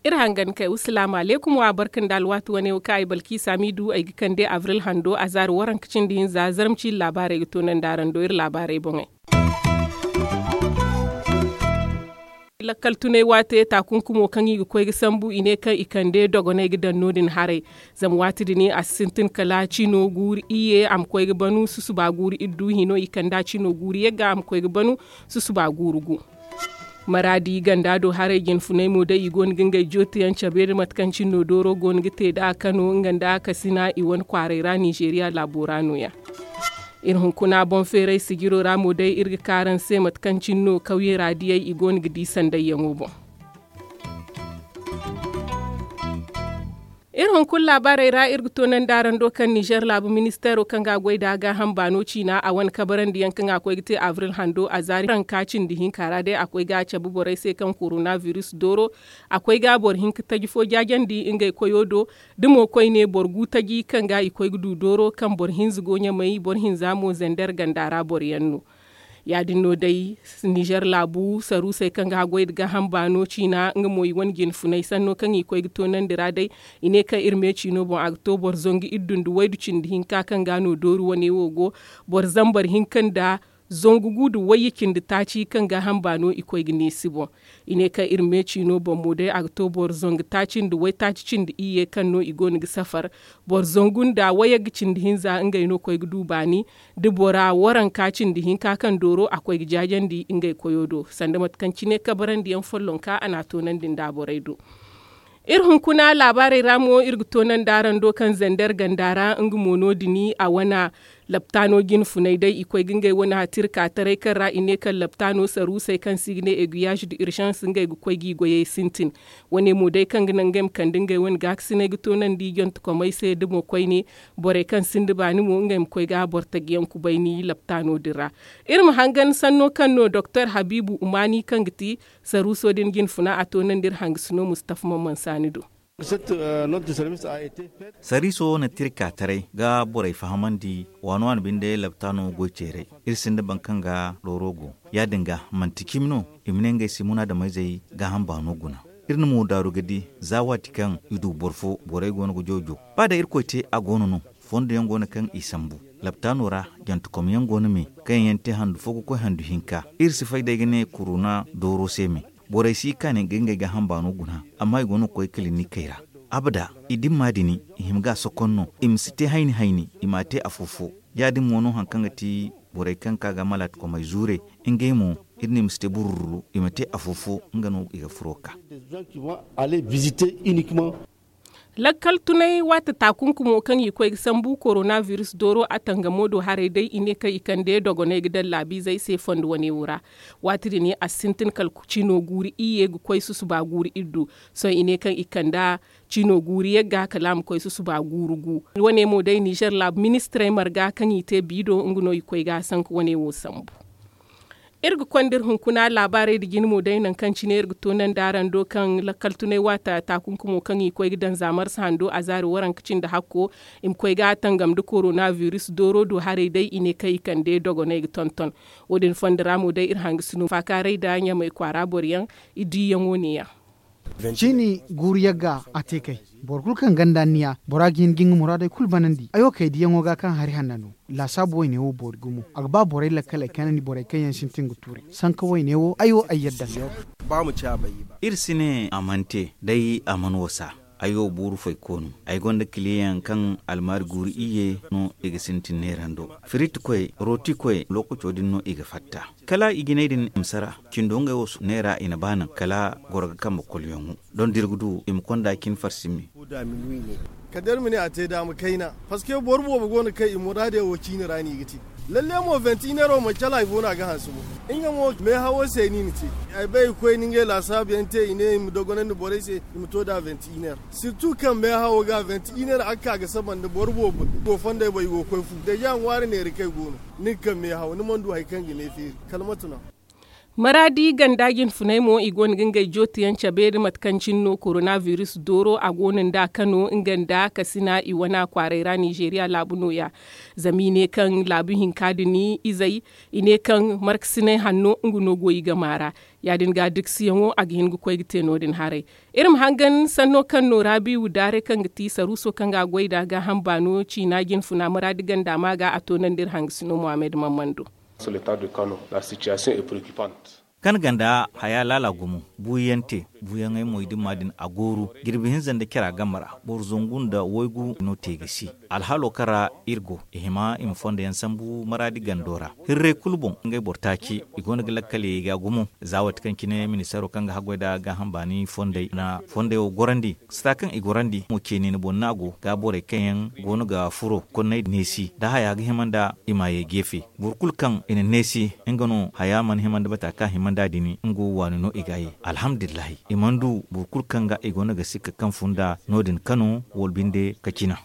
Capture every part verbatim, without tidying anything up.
Iri hangan kay wa salaamu alaykum wa barka nda alwaati wane wo kaŋ ay balkiisa m'i du ay ga kande abril hando a zaari waranka cindi hinza zarma ciine laabaarey ga toonandi araŋ do iri laabaarey boŋey. Lakkal tunay waate taakunkumo kaŋ i ga koy ga sambu i ne kaŋ i kande dogonay ga daŋ no- din haray. Zama waati din a si sintin kala cino guuru iyye a ma koy ga banu susuba guuru iddu hino i kande a cino guuru yagga a ma koy ga banu susuba guuru gu. Maraadi ganda do haray jinfunay mo day i go no ga ngey jootiyaŋ cabe nda mate kaŋ cine no dooro go no ga te nd'a kano nga nda kasina i wane kwaaray ra ninzeeriya laabo ra no- ya. Iri hunkuna boŋ feeray sijiro ra mo day iri ga ka araŋ se mate kaŋ cine no kawyey ra diyey i go no ga di sandayyaŋo boŋ. Iri hunkuna laabaarey ra iri ga toonandi araŋ do kaŋ nizer laabu ministeero kaŋ ga a goy nd'a gaaham baano ciina a wane kabarandiyaŋ kaŋ a koy ga te abril hando a zaari ranka cindi hinka ra day a koy ga a cabe borey se kaŋ korona biris dooro a koy ga boro hinka taji fo jaajandi ngey koyo do. Da mo koyne boro gu taji kaŋ ga i koy ga du dooro kaŋ boro hinza go ɲamay boro hinza mo zander ganda ra boroyaŋ no. Ya- din no day nizer laabu saruusey kaŋ ga haggoy nda gaaham baano ciina nga mo i wane jinfunay sanno kaŋ i koy ga toonandi ra day. I ne kaŋ iri me ciino boŋ a ga to boro zangu iddu nda waydu cindi hinka kaŋ ga no dooru wane wo go. Boro zambar hinka nda zangu gu nda wayye cindi taaci kaŋ gaaham baano i koy ga neesi boŋ. I ne kaŋ iri me ciino boŋ mo day a ga to boro zangu taaci nda waytaaci cindi iyye kaŋ no i go no ga safar. Boro zangu nda wayagga cindi hinza ngey no koy ga du baani. Da bora waranka cindi hinka kaŋ dooro a koy ga jaajandi ngey koyo do sanda mate kaŋ cine kabarandiyaŋ follonka a n'a toonandi nda borey do. Iri hunkuna laabaarey ra mo iri ga toonandi araŋ do kaŋ zander ganda ra nga mo no- din a wane laptaano jinfunay day i koy ga ngey wane hatirka taray kaŋ ra i ne kaŋ laptaano saruusey kaŋ se i ga ne eguyaaz da irzans ngey ga koy g'i goyey sintin. Wane mo day kaŋ ga naŋ ngey ma kande ngey wane gaakasinay ga toonandi jantekomey se da mo koyne borey kaŋ sinda baani mo ngey ma koy ga boro tajiyaŋ kubayni laptaano din ra. Iri ma hangan sanno kaŋ no doktor habiibu umaani kaŋ ga ti saruuso din jinfuna a toonandi iri hangasino mustafa mamman saani do. Sariiso na tirka taray ga borey fahamandi waani waani binde laptaano goy ceeray. Iri sinda boro kaŋ ga dooro go ya- din ga manti cimi no i ma ne ngey se munaadameyzey gaaham baano guna. Iri na mo daaru ga di za waati kaŋ i du boro fo borey go no ga joojo ba day irkoy te a go no no. Fondo yaŋ go no kaŋ i sambu laptaano ra jantekom yaŋ go no me kaŋ yaŋ te handu fo ga koy handu hinka. Iri si fay day ga ne korona dooro se me. Borey si i kaani ga ngey gaaham baano guna amma i go no ga koy kilinikey ra. Abada i dimma din i hima ga a sokon no i ma si te hayni hayni i m'a te afo fo. Ya- din mo no hari kaŋ ga ti borey kaŋ ka ga malaatakomey zuure ngey mo iri ne i ma si te burururu i ma te afo fo nga no i ga furo ka. Lakkal tunay waati taakunkumo kaŋ i koy ga sambu korona biris dooro a tangamo do haray day i ne kaŋ i kande dogoney ga daŋ laabiizey se fondo wane wo ra. Waati din a sintin kala cino guuru iyye ga koy susuba guuru iddu. Sohõ i ne kaŋ i kand'a cino guuru yagga kala a ma koy susuba guuru gu. Wane mo day nizer laabu ministirey marga kaŋ i te biido nga no i koy ga a sanka wane wo sambu. Iri ga konda iri hunkuna laabaarey nda jine mo day nangu kaŋ cine iri ga toonandi araŋ do kaŋ lakkal tunay waata taakunkumo kaŋ i koy ga daŋ za marsa hando a zaari waranka cindi hakko i ma koy ga a tangam nda korona biris dooro do haray day i ne kaŋ i kande dogoney ga tonton. Wo- din fondo ra mo day iri hangasino faakaaray nda ɲamay kwaara boro yaŋ i diiyaŋo ne- ya. Ciini guuru yagga a te kay. Boro kulu kaŋ ganda anniya bora ga hin ga nga muraadey kulu banandi ay wo kay diyaŋo ga kaŋ hari hanna no. Laasaabu wayne wo boori gumo a ga ba borey lakkaley kanandi borey kaŋ yaŋ sintin ga tuurey sanka wayne wo ay wo ay yadda. Iri si ne a mana te day a mana wasa. Ay wo buuru fayko no. Ay gonda kiliyaŋ kaŋ almaari guuru iyye no i ga sintin neerando. Firiitikoy rootikoy lookaco din no i ga fatta. Kala i jinay din ma sara cindo ngey wo neera i na ba naŋ kala goro ga kambe kolyaŋo. Doŋ da iri ga du i ma konda cin farsi me. Kala day iri ma ne a te daama kayna. Parceque boro boobo go no kaŋ i muraadey wo ciini ra no i ga te. Lalle mo vingt et un heures wo manti kala hari fo no a ga hanse mo. Nga mo meehawo se no i na te. Ay bay i koy na ngey laasaabu yaŋ te i ne i ma dogonandi borey se i ma to nd'a vingt et un heures. Surtout kaŋ meehawo ga vingt et un heures a ga ka ga saba nda boro boobo go fondey boŋ i go ga koy fu deja ŋwaari neera kaŋ i go no. Ni ga kaŋ meehawo ni mana du hari kaŋ ga ne feeri. Kala mate no. Maraadi ganda jinfunay mo i go no ga ngey jootiyaŋ cabe nda mate kaŋ cine no korona biris dooro a go no nd'a kano nga nda kasina i wana kwaaray ra nizeeriya laabu nooya. Zama i ne kaŋ laabu hinka din izey i ne kaŋ markasinay hanno nga no go i gama ra. Ya- din ga dikasiyaŋo a ga hin ga koy ga te no- din haray. Iri ma hangan sanno kaŋ no raabiiwu daaray kaŋ ga ti saruuso kaŋ ga a goy nd'a gaaham baano ciina jinfuna maraadi ganda ma ga a toonandi iri hangasino muhammad mammando. Kan ganda haya laala gumo buuyaŋ te buuyaŋey mo i dimma din a gooru jirbi hinza nda cara game ra boro zangu nda waygu no te ga si. Alhalo kaŋ ra iri go i hima i ma fondo yaŋ sambu maraadi gando ra. Hirray kulu boŋ ngey boro taaci i go no ga lakkal yay ga gumo za waati kaŋ cine ministeero kaŋ ga haggoy nda gaaham baani fondey na fondey wo gorandi sata kaŋ i gorandi mo ceeni ni boŋ no a go ga borey kaŋ yaŋ go no ga furo konney neesi nda haya ga hima nda i ma yay geefe. Boro kulu kaŋ i na neesi nga no haya mana hima nda bata kaŋ a hima nda din nga wo waani no i ga a ye. Alhamdulillahi i mana du boro kulu kaŋ ga i go no ga sikka kaŋ fun nda no- din kano wala binde ka cina.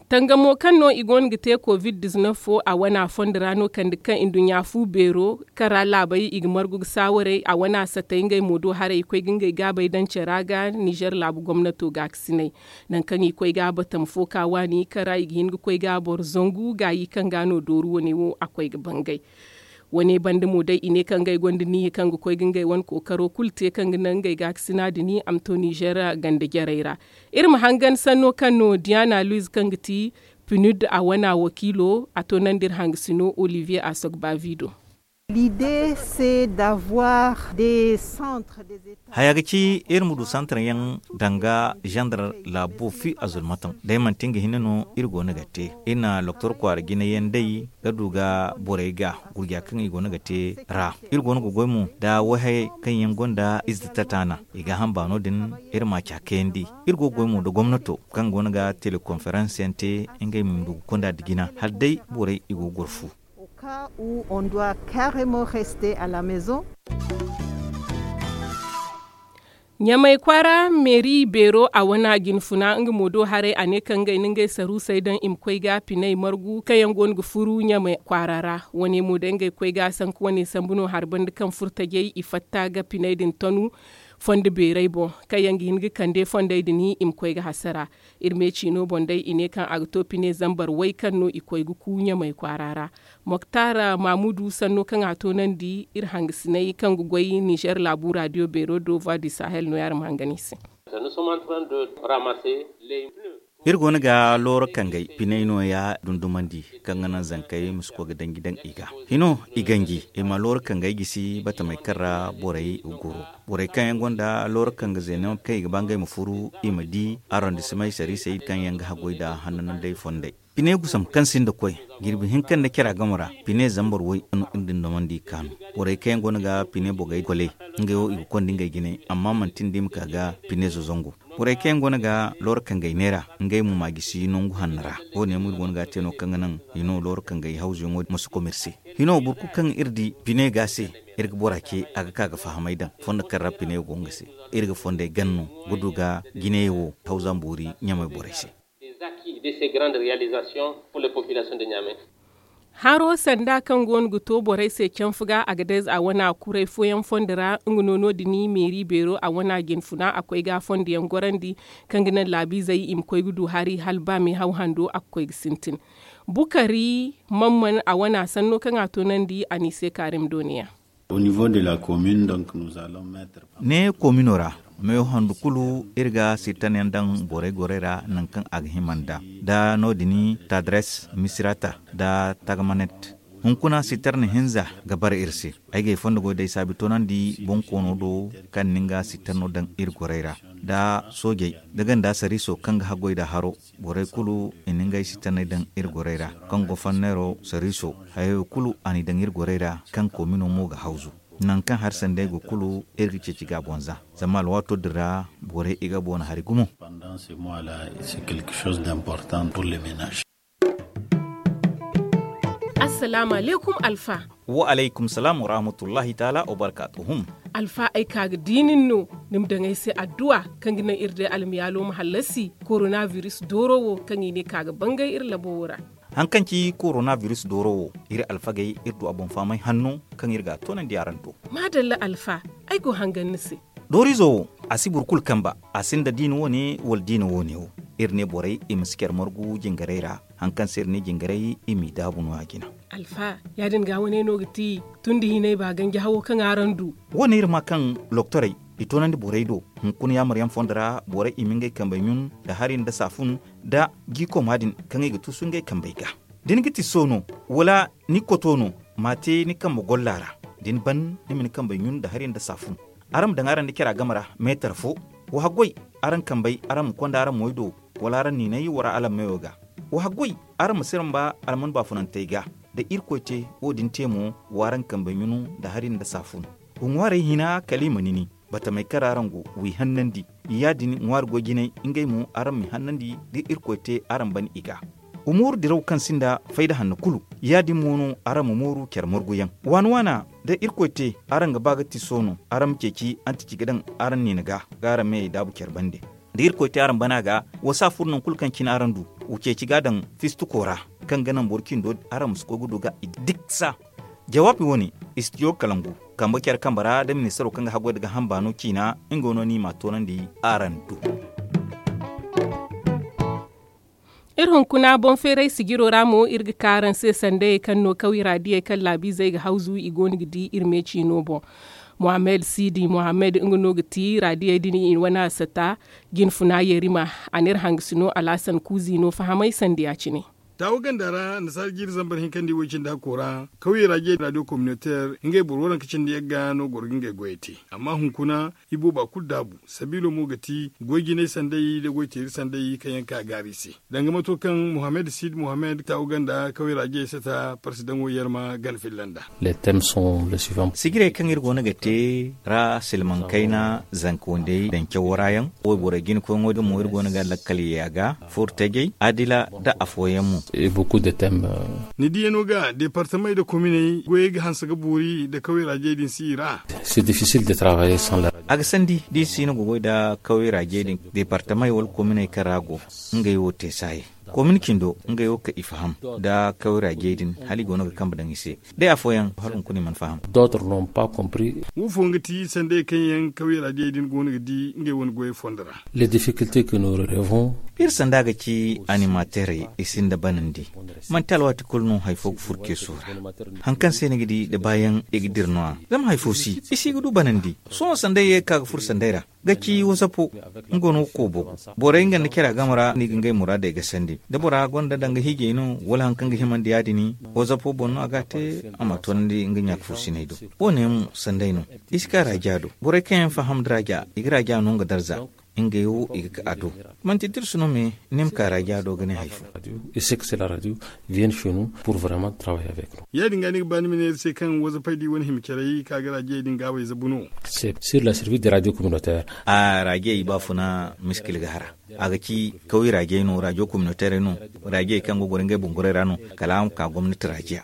Tangamo kaŋ no i go no ga te covid diznef fo a wana fondo ra no kande kaŋ nduɲɲa fu beero kaŋ ra laabey i ga margu ga saawaray a wana satay ngey mo do haray i koy ga ngey gaabey daŋ care ra ga nizer laabu gomnato gaakasinay. Nangu kaŋ i koy ga batam fo ka waani kaŋ ra i ga hin ga koy ga boro zangu gaayi kaŋ ga no dooru wane wo a koy ga bangay. Wane banda mo day i ne kaŋ ngey gonda niihi kaŋ ga koy ga ngey wane kookaro kulu te kaŋ ga naŋ ngey gaakasina din a ma to nizer ganda jarey ra. Iri ma hangan sanno kaŋ no diana luiz kaŋ ga ti pinud a wana wakiilo a to naŋ da iri hangasino olivier asogbavi do. Haya ga ci iri ma du santar yaŋ danga zandar laabo fi a zulmataŋ day manti nga hinne no iri go no ga te iri na doktor kwaara jinayaŋ day ga du ga borey ga gurja kaŋ i go no ga te ra. Iri go no ga goy mo nda wayhayey kaŋ yaŋ gonda ize tatana i ga hamba no- din iri ma a ca kayandi. Iri go ga goy mo nda gomnato kaŋ go no ga telekonferans yaŋ te ngey ma du ga konda nda jina hala day borey i go ga goro fu. Ɲamay kwaara meeri beero a wane a jinfuna nga mo do haray a ne kaŋ ngey na ngey saruusey daŋ i ma koy ga piney margu kaŋ yaŋ go no ga furu ɲamay kwaara ra. Wane mo day ngey koy ga sanku wane sambu no hari banda kaŋ furtajey i fatta ga piney din tanu fondo beerey boŋ kaŋ yaŋ ga hin ga kande fondey din i ma koy ga hasara. Iri me ciino boŋ day i ne kaŋ a ga to pine zambar way kaŋ no i koy ga ku ɲamay kwaara ra. Moktar mamudu sanno kaŋ a toonandi iri hangasinay kaŋ ga goy nizer laabu radio beero do voix du sahel no yaŋ ma hangan i se. Iri go no ga looro kangey piney nooya dundumandi kaŋ ga naŋ zankey ma si koy ga danji daŋ i ga hino i ganji i ma looro kangey gisi batamey kaŋ ra borey ga goro. Borey kaŋ yaŋ gonda looro kanga zeeno kaŋ i ga ba ngey ma furu i ma di arondisimey sariisey kaŋ yaŋ ga haggoy nda hananandey fondey. Pine gusam kaŋ sinda koy jirbi hinka nda cara game ra pine zambar way no iri din damandi i kaanu. Borey kaŋ yaŋ go no ga pine bogey koley ngey wo i ga konda ngey jine amma manti nda i ma ka ga pine zozongo. Borey kaŋ yaŋ go no ga looro kangey neera ngey mo ma gisi nangu hanno ra. Wo- ne mo iri go no ga a te no kaŋ ga naŋ hino looro kangey hawzuyaŋo ma si komerse. Hino boro kulu kaŋ iri di pine ga se iri ga bora ce a ga ka ga fahamay daŋ fondo kaŋ ra pine go nga se. Iri ga fondey ganno ga du ga jiney wo hawza mboori ɲamey borey se. Haro sanda kaŋ go no ga to borey se canfu ga a ga dayze a wana kuray fooyaŋ fondo ra nga no no- din meeri beero a wana jinfuna a koy ga fondo yaŋ gorandi kaŋ ga naŋ laabiizey i ma koy ga du hari hala ba meehaw hando a ga koy ga sintin. Bukari mamman a wana sanno kaŋ a toonandi a n'i se kaarim dooniya. Ne komino ra meewo handu kulu iri ga sittan yaŋ daŋ borey gorey ra nangu kaŋ a ga hima nd'a nda no- din tadres misirata nda tagamanet. Hunkuna sittar na hinza ga bare iri se. Ay ga ay fondo goy day saabi toonandi bonkoono do kaŋ na nga sittanno daŋ iri gorey ra nda soojey da ganda sariiso kaŋ ga haggoy nda haro. Borey kulu i na ngey sittaney daŋ iri gorey ra kaŋ go fanneero sariiso. Hayey wo kulu a n'i daŋ iri gorey ra kaŋ koomino mo ga hawzu. Nangu kaŋ hari sanday go kulu iri ga ceeci ga a boŋ za zama alwaato din ra borey i ga boona hari gumo. Assalaamu alaykum alfa. Wa alaykum salaam wa rahmatullahi taala wa barkaatuhum. Alfa ay ka ga di nin no ni ma daŋ ay se adduwa kaŋ ga naŋ iri day almiyaalo ma hallasi korona biris dooro wo kaŋ i ne ka ga bangay iri labo wo ra. Hari kaŋ ci korona biris dooro wo, iri alfagey iri du a boŋ fahamay hanno kaŋ iri ga a toonandi araŋ do. Maadalla alfa, ay go hangan ni se. Dooriizo wo, a si boro kulu kamba. A sinda diina wo- ne wala diina wo- ne wo. Iri ne borey i ma si care margu jingarey ra. Hari kaŋ se iri ne jingarey i m'i daabu no- ya jina. Alfa, ya- din ga wane no ga ti tun da hinay ba ganji hawo kaŋ araŋ du. Wo- ne iri ma kaŋ loktorey i toonandi borey do. Hunkuna yaamaryaŋ fondo ra borey i ma ngey kambey ɲun nda hari nda saafun nda jiikoma din kaŋ i ga tuusu ngey kambey ga. Da ni ga tiso no, wala ni koto no, m'a te ni kambe golla ra. Da ni ban, ni ma ni kambey ɲun nda hari nda saafun. Araŋ ma daŋ araŋ nda cara game ra meetar fo. Wa haggoy, araŋ kambey araŋ ma konda araŋ moy do, wala araŋ niinay wara alammeyo ga. Wa haggoy, araŋ ma siramba alman baafunantey ga. Da irkoy te wo- din te mo, w'araŋ kambey ɲunu nda hari nda saafun. Wa ŋwaarey hina kala i ma nini. Batamey kaŋ ra araŋ go, w'i hannandi. Ya- din ŋwaari goy jinay, ngey mo araŋ m'i hannandi. Da irkoy te araŋ ban i ga. Wa mooru diraw kaŋ sinda fayda hanno kulu. Ya- din mo no araŋ ma mooru care marguyaŋ. Waana waana, da irkoy te, araŋ ga ba ga tiso no, araŋ ma ceeci antici ga daŋ araŋ niina ga, ga araŋ meyey daabu care bande. Da irkoy te araŋ bana ga, wa saafur nangu kulu kaŋ cine araŋ du. Wa ceeci ga daŋ fistuko ra, kaŋ ga naŋ boro cindo araŋ ma si koy ga du ga i diksa. Jawaabi wo- ne, istidiyo kalangu, kambe care kambe ra da ministaro kaŋ ga haggoy nda ga hamba no ciina, nga no ni m'a toonandi araŋ do. Iri hunkuna boŋ feeray sijiro ra mo iri ga ka araŋ se sandayey kaŋ no kawira diyey kaŋ laabiizey ga hawzu i go no ga di iri me ciino boŋ. Mohammed siidi mohammed nga no ga ti raadiyey din i wane asata. Jinfuna yerima, a n'iri hangasino alaasan kuuzi no fahamay sanda ya- cine. Taawa ganda ra nasaara jiiri zambar hinkandi way cindi hakko ra, kawyey ra jey raadiyo kominoteer ngey boro waranka cindi yagga no goro ga ngey goyey te. Amma hunkuna i booba kulu daabu. Sabiilo mo ga ti goy jinay sanday nda goy teeri sanday kaŋ yaŋ ka gaari i se. Danga mato kaŋ mohammed siid mohammed taawa ganda kawyey ra jey sata parsidaŋo yerma gana filla nda. Sijirey kaŋ iri go no ga te ra silmaŋ kayna zanka wandey daŋ cawo ra yaŋ. Wayborey jina koyŋo din mo iri go no ga lakkal ye a ga, furtajey, adila nda afooyaŋ mo. Ni diyano ga deepartamey nda kominey goyey ga hanse ga boori nda kawyey ra jey din si i ra. A ga sandi da i si no ga goy nda kawyey ra jey din. Deepartamey wala kominey kaŋ ra a go, ngey wo te saayi. Komin cindo ngey wo ka i faham nda kawyey ra jey din hala i go no ga kambe daŋ i se. Day afooyaŋ hala hunkuna i mana faham. Wo fooyaŋ ga ti sanday kaŋ yaŋ kawyey ra jey din go no ga di ngey wane goyey fondo ra. Iri sanda ga ci animateerey i sinda banandi. Manti alwaati kulu no hari fo ga furo ceeso ra. Hari kaŋ se ni ga di nda baayaŋ i ga dira no- ya zama hari fo si i si ga du banandi. Sohõ sanday ye ga ka ga furo sanday ra ga ci wasapo. Nga no ga koobo borey nga nda care game ra no i ga ngey muraadey gasandi. Da bora gonda danga hiijay no wala hari kaŋ ga himandi ya- din, wasapo boŋ no a ga a te. A ma a toonandi nga ɲaaka fursiney do. Wo- ne mo sanday no. I si ka raaja do borey kaŋ yaŋ faham nda raaja i ga raaja no nga darza. Ngey wo i ga ka a do. Manti tirsi no me ni ma ka raaja do ga ne hari fo. Ya- din ga ni ga ba ni ma ne iri se kaŋ wazafey da i wane hima carey ka ga raajiyey din gaawey zabu no. Raajiyey i baafuna miskil ga hara. A ga ci kaway raajiyey no raajiyo kominoteerey no. Raajiyey kaŋ go goro ngey bumborey ra no. Kala a ma ka gomnati raajiya.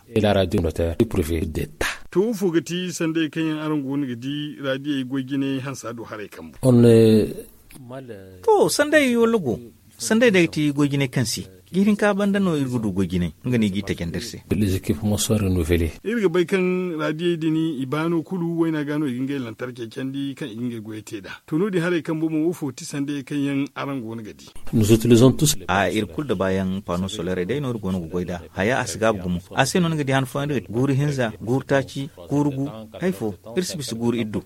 To wo fo ga ti sanday kaŋ yaŋ araŋ go no ga di raajiyey goy jinay hansa do haray kambu? To sanday walla go. Sanday day ga ti goy jinay kaŋ se jiiri hinka banda no iri ga du goy jinay. Nga no i g'i tajandi iri se. Iri ga bay kaŋ raadiyey din i baano kulu wayna ga no i ga ngey lantarkey candi kaŋ i ga ngey goyey te nd'a. To no- din haray kambo mo wo fo ti sanday kaŋ yaŋ araŋ go no ga di? A iri kulu da baayaŋ paano soleerey day no iri go no ga goy nd'a. Haya a si gaabu gumo. A se no ni ga di han fooyaŋ iri ga guuru hinza guuru taaci guuru gu. Hari fo iri si bisa guuru iri do.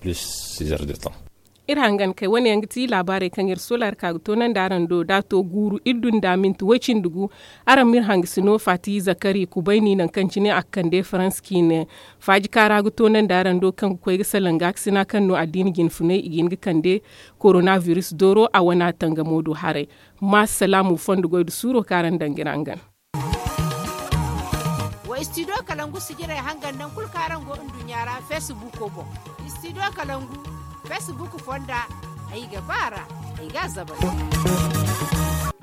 Iri hangan kay wane yaŋ ga ti laabaarey kaŋ iri solar ka ga toonandi araŋ do da a to guuru iri du nda minti way-cindi gu. Araŋ ma iri hangasino faati zakari kubayni nangu kaŋ cine a ga kande farans ciine. Faaji kaara ga toonandi araŋ do kaŋ ga koy ga salaŋ gaakasina kaŋ no addiina jinfunay i ga hin ga kande korona biris dooro a wane a tangamo do haray. Ma salaamu fondo goy nda suuro kaŋ araŋ daŋ ga iri hangan. Wa istidiyo kalangu sijirey hangan nangu kulu kaŋ araŋ go nduɲɲa ra feesibuuko boŋ. Istidiyo kalangu feesibuuk fonda ay ga ba a ra. Ay ga a zabay.